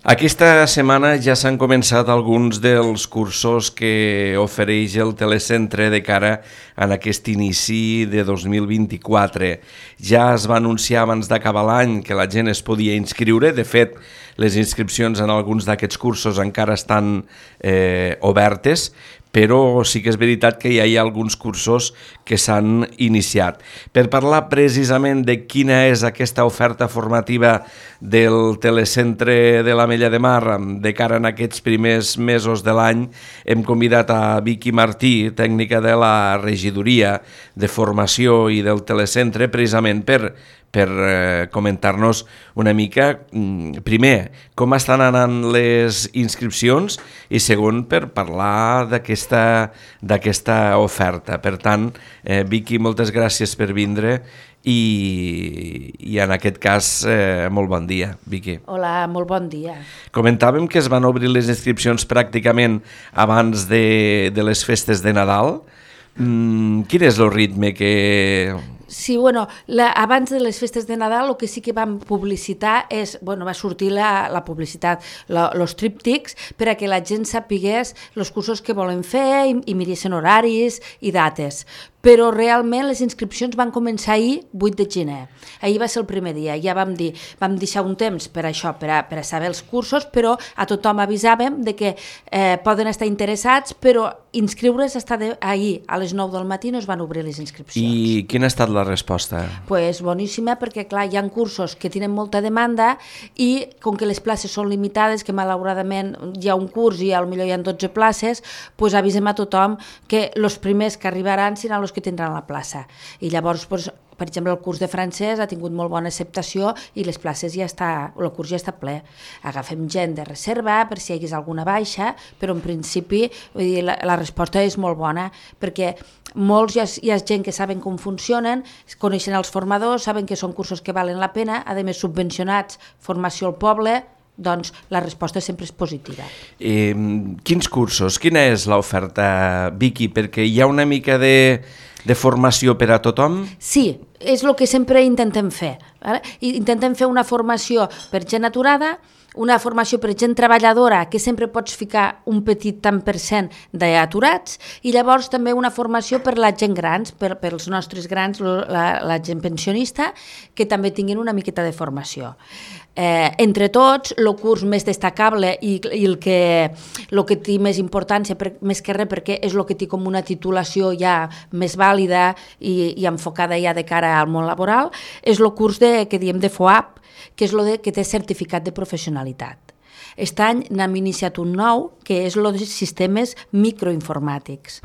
Aquesta setmana ja s'han començat alguns dels cursos que ofereix el telecentre de cara a aquest inici de 2024. Ja es va anunciar abans d'acabar l'any que la gent es podia inscriure. De fet, les inscripcions en alguns d'aquests cursos encara estan obertes, però sí que és veritat que ja hi ha alguns cursos que s'han iniciat. Per parlar precisament de quina és aquesta oferta formativa del telecentre de l'Ametlla de Mar de cara a aquests primers mesos de l'any, hem convidat a Vicky Martí, tècnica de la regidoria de formació i del telecentre, precisament per comentar-nos una mica, primer, com estan anant les inscripcions i segon, per parlar d'aquesta oferta. Per tant, Vicky, moltes gràcies per vindre i en aquest cas, molt bon dia, Vicky. Hola, molt bon dia. Comentàvem que es van obrir les inscripcions pràcticament abans de les festes de Nadal. Quin és el ritme que... Sí, bueno, abans de les festes de Nadal el que sí que vam publicitar és, bueno, va sortir la publicitat, els tríptics, per a que la gent sapigués els cursos que volen fer i miressin horaris i dates. Però realment les inscripcions van començar ahir, 8 de gener. Ahir va ser el primer dia, ja vam deixar un temps per això, per a saber els cursos, però a tothom avisàvem de que poden estar interessats, però inscriure's ahir a les 9 del matí no es van obrir les inscripcions. I quina ha estat la resposta? Pues boníssima, perquè clar, hi ha cursos que tenen molta demanda i com que les places són limitades, que malauradament hi ha un curs i potser hi ha 12 places, pues avisem a tothom que els primers que arribaran seran els que tindran la plaça. I llavors, pues, per exemple, el curs de francès ha tingut molt bona acceptació i les places el curs ja està ple. Agafem gent de reserva per si hi hagués alguna baixa, però en principi vull dir, la resposta és molt bona, perquè molts hi ha gent que saben com funcionen, coneixen els formadors, saben que són cursos que valen la pena, a més subvencionats, formació al poble, doncs la resposta sempre és positiva. Quins cursos? Quina és l'oferta, Vicky? Perquè hi ha una mica de formació per a tothom? Sí, és el que sempre intentem fer. Intentem fer una formació per gent aturada, una formació per gent treballadora, que sempre pots ficar un petit tant per cent d'aturats, i llavors també una formació per la gent grans, per els nostres grans, la gent pensionista, que també tinguin una miqueta de formació. Entre tots, el curs més destacable i el que té més importància, més que res perquè és el que té com una titulació ja més vàlida i enfocada ja de cara al món laboral, és el curs que diem de FOAP, que és el que té certificat de professionalitat. Aquest any n'hem iniciat un nou, que és el de sistemes microinformàtics.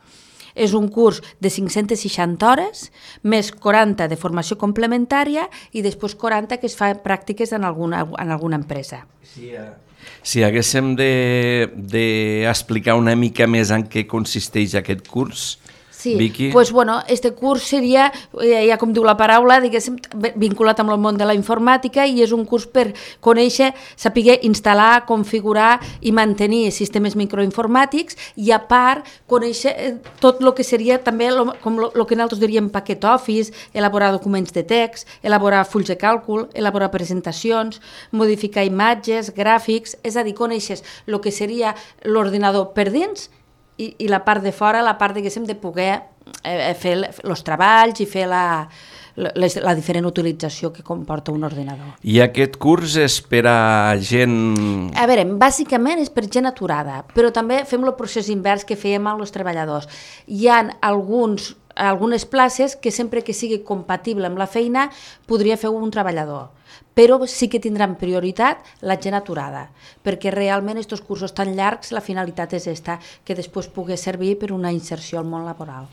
És un curs de 560 hores, més 40 de formació complementària i després 40 que es fa pràctiques en alguna empresa. Si haguéssim d'explicar una mica més en què consisteix aquest curs, sí, Vicky? Pues bueno, este curs seria, ja com diu la paraula, diguéssim, vinculat amb el món de la informàtica i és un curs per conèixer, saber instal·lar, configurar i mantenir sistemes microinformàtics i a part conèixer tot el que seria també com el que nosaltres diríem paquet Office, elaborar documents de text, elaborar fulls de càlcul, elaborar presentacions, modificar imatges, gràfics, és a dir, coneixes el que seria l'ordinador per dins i la part de fora, la part de poder fer els treballs i fer la diferent utilització que comporta un ordinador. I aquest curs és per a gent... A veure, bàsicament és per gent aturada, però també fem el procés invers que fèiem amb els treballadors. Hi ha algunes places que sempre que sigui compatible amb la feina podria fer un treballador, però sí que tindran prioritat la gent aturada, perquè realment aquests cursos tan llargs la finalitat és que després pugui servir per una inserció al món laboral.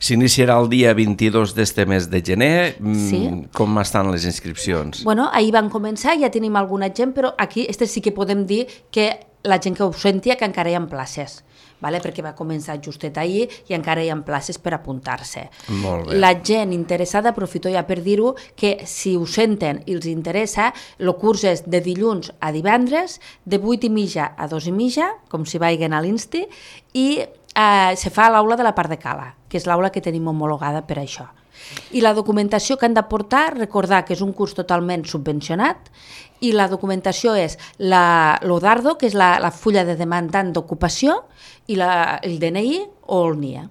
S'iniciarà el dia 22 d'este mes de gener. Sí. Com estan les inscripcions? Bueno, ahir van començar, ja tenim alguna gent, però aquí sí que podem dir que la gent que ho sentia que encara hi ha places. Perquè va començar justet ahir i encara hi ha places per apuntar-se. Molt bé. La gent interessada, aprofito ja per dir-ho, que si ho senten i els interessa, el curs és de dilluns a divendres, de 8:30 a 2:30, com si vagin a l'Insti, i se fa a l'aula de la part de Cala, que és l'aula que tenim homologada per això. I la documentació que han de portar, recordar que és un curs totalment subvencionat, i la documentació és l'ODARDO, que és la fulla de demandant d'ocupació, i el DNI o el NIE.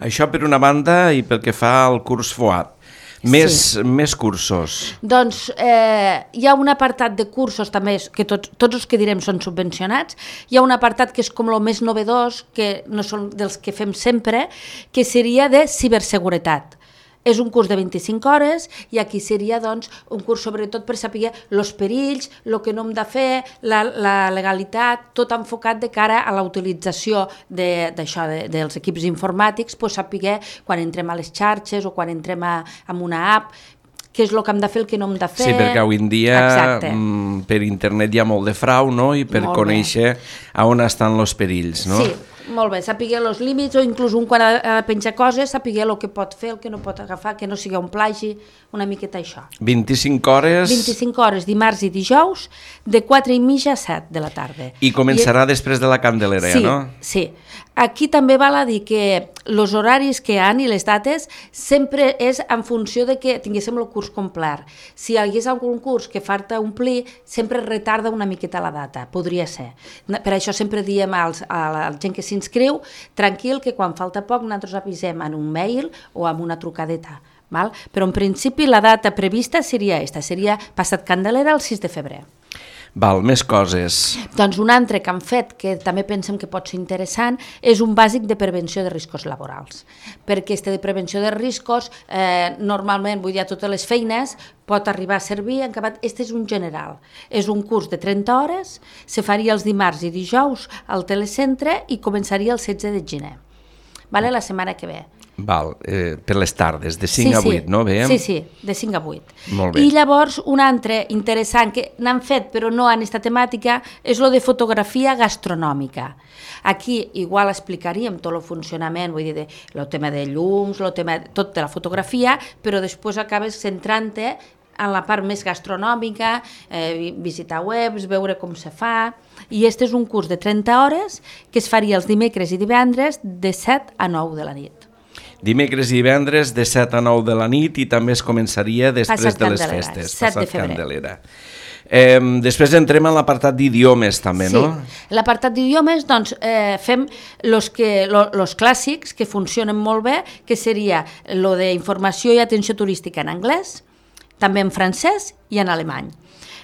Això per una banda i pel que fa al curs FOAP. Més cursos. Doncs hi ha un apartat de cursos també, que tots els que direm són subvencionats, hi ha un apartat que és com el més novedós, que no són dels que fem sempre, que seria de ciberseguretat. És un curs de 25 hores i aquí seria doncs, un curs sobretot per saber els perills, el que no hem de fer, la legalitat, tot enfocat de cara a la utilització d'això, dels equips informàtics, pues, saber quan entrem a les xarxes o quan entrem en una app, què és el que hem de fer, el que no hem de fer. Sí, perquè avui en dia per internet hi ha molt de frau, no? I per conèixer on estan els perills, no? Sí, molt bé, saber els límits o inclús un quan ha de penjar coses, saber el que pot fer, el que no pot agafar, que no sigui un plagi, una miqueta això. 25 hores... 25 hores dimarts i dijous, de 4:30 a 7 de la tarda. I començarà després de la Candelera, sí, no? Sí, aquí també val a dir que els horaris que hi ha i les dates sempre és en funció de que tinguéssim el curs complet. Si hi hagués algun curs que falta omplir, sempre retarda una miqueta la data, podria ser. Per això sempre diem a la gent que s'inscriu, tranquil, que quan falta poc nosaltres avisem en un mail o amb una trucadeta. Val? Però en principi la data prevista seria aquesta, seria passat Candelera el 6 de febrer. Val, més coses. Doncs un altre que han fet, que també pensem que pot ser interessant, és un bàsic de prevenció de riscos laborals. Perquè este de prevenció de riscos, normalment, vull dir, a totes les feines, pot arribar a servir, en acabat, este és un general. És un curs de 30 hores, se faria els dimarts i dijous al telecentre i començaria el 16 de gener. Vale? La setmana que ve. Val, per les tardes, de 5 a 8, no? Veiem? Sí, de 5 a 8. Molt bé. I llavors, un altre interessant que n'han fet però no en aquesta temàtica és lo de fotografia gastronòmica. Aquí igual explicaríem tot el funcionament, vull dir, el tema de llums, el tema tot de la fotografia, però després acabes centrant-te en la part més gastronòmica, visitar webs, veure com se fa, i este és un curs de 30 hores que es faria els dimecres i divendres de 7 a 9 de la nit. Dimecres i divendres de 7 a 9 de la nit i també es començaria després de les festes. 7 de febrer. Candelera. Després entrem en l'apartat d'idiomes també, no? Sí, l'apartat d'idiomes, doncs, fem els clàssics que funcionen molt bé, que seria lo d'informació i atenció turística en anglès, també en francès i en alemany.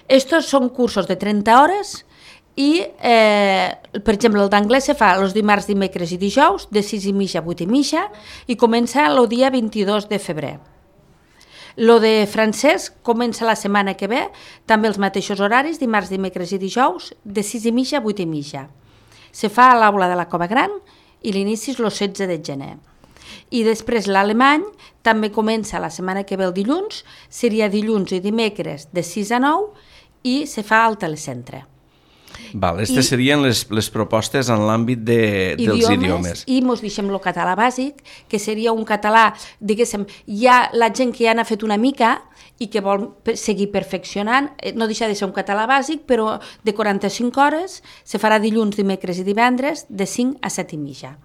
Estos són cursos de 30 hores i, per exemple, el d'anglès se fa els dimarts, dimecres i dijous, de 6:30 a 8:30 i comença el dia 22 de febrer. Lo de francès comença la setmana que ve, també els mateixos horaris, dimarts, dimecres i dijous, de 6:30 a 8:30. Se fa a l'aula de la Cova Gran i l'inici és el 16 de gener. I després l'alemany també comença la setmana que ve el dilluns, seria dilluns i dimecres de 6 a 9 i se fa al telecentre. Val, aquestes serien les propostes en l'àmbit dels idiomes. I mos deixem el català bàsic, que seria un català, diguéssim, hi ha la gent que ja n'ha fet una mica i que vol seguir perfeccionant, no deixa de ser un català bàsic, però de 45 hores, se farà dilluns, dimecres i divendres, de 5 a 7:30.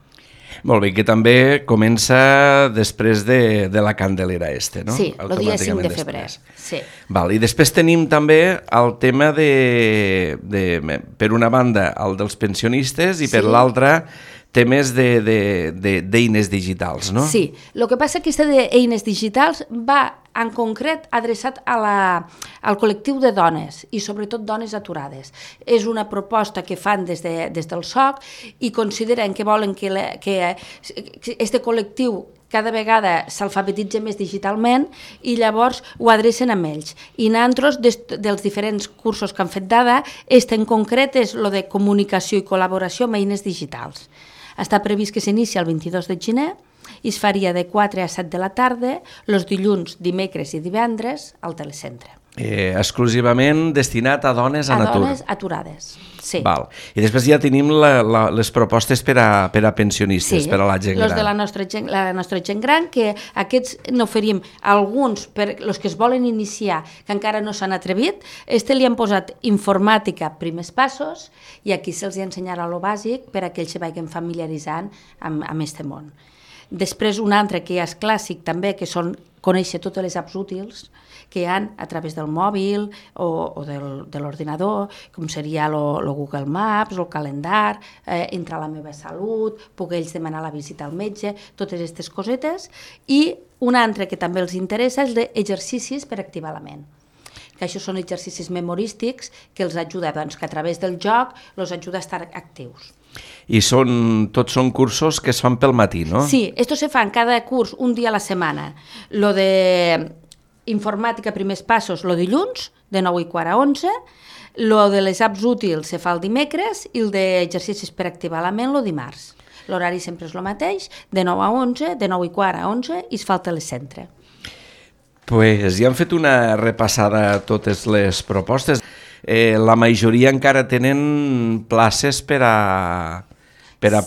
Molt bé, que també comença després de la Candelera no? Sí, el dia 5 de febrer. Sí. Val, i després tenim també el tema per una banda, el dels pensionistes i per l'altra, temes d'eines digitals, no? Sí, el que passa que aquesta d'eines digitals va en concret adreçat al col·lectiu de dones i sobretot dones aturades. És una proposta que fan des del SOC i consideren que volen que aquest col·lectiu cada vegada s'alfabetitza més digitalment i llavors ho adrecen amb ells. I nosaltres, dels diferents cursos que han fet dada, en concret és el de comunicació i col·laboració amb eines digitals. Està previst que s'inicia el 22 de gener i es faria de 4 a 7 de la tarda, els dilluns, dimecres i divendres al telecentre. Exclusivament destinat a dones en atur. A dones aturades, sí. Val. I després ja tenim les propostes per a pensionistes, per a la gent gran. Sí, la nostra gent gran, que aquests n'oferim alguns per els que es volen iniciar, que encara no s'han atrevit. Li han posat informàtica, primers passos, i aquí se'ls ensenyarà lo bàsic per a que ells se vagin familiaritzant amb aquest món. Després un altre que ja és clàssic també, que són conèixer totes les apps útils que hi ha a través del mòbil o de l'ordinador, com seria el Google Maps, el calendar, entrar a la meva salut, poder ells demanar la visita al metge, totes aquestes cosetes. I un altre que també els interessa és d'exercicis per activar la ment, que això són exercicis memorístics que els ajuda, doncs, que a través del joc els ajuda a estar actius. I tots són cursos que es fan pel matí, no? Sí, esto se fa en cada curs un dia a la setmana. Lo de informàtica primers passos, lo dilluns, de 9:15 a 11, lo de les apps útils se fa el dimecres i el d'exercicis per activar la ment el dimarts. L'horari sempre és el mateix, de 9 a 11, de 9:15 a 11 i es fa el telecentre. Pues ja han fet una repassada a totes les propostes. La majoria encara tenen places per a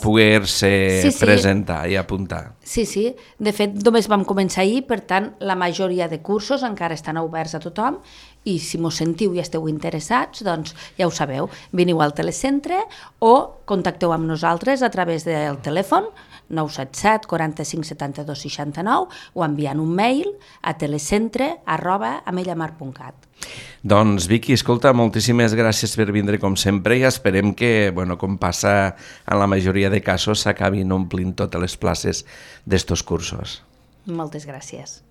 poder-se presentar i apuntar. Sí. De fet, només vam començar ahir, per tant, la majoria de cursos encara estan oberts a tothom i si mos sentiu i esteu interessats, doncs ja ho sabeu, veniu al telecentre o contacteu amb nosaltres a través del telèfon 977 45 72 69 o enviant un mail a telecentre@amellamar.cat. Doncs Vicky, escolta, moltíssimes gràcies per vindre com sempre i esperem que, com passa en la majoria de casos, s'acabin omplint totes les places d'estos cursos. Moltes gràcies.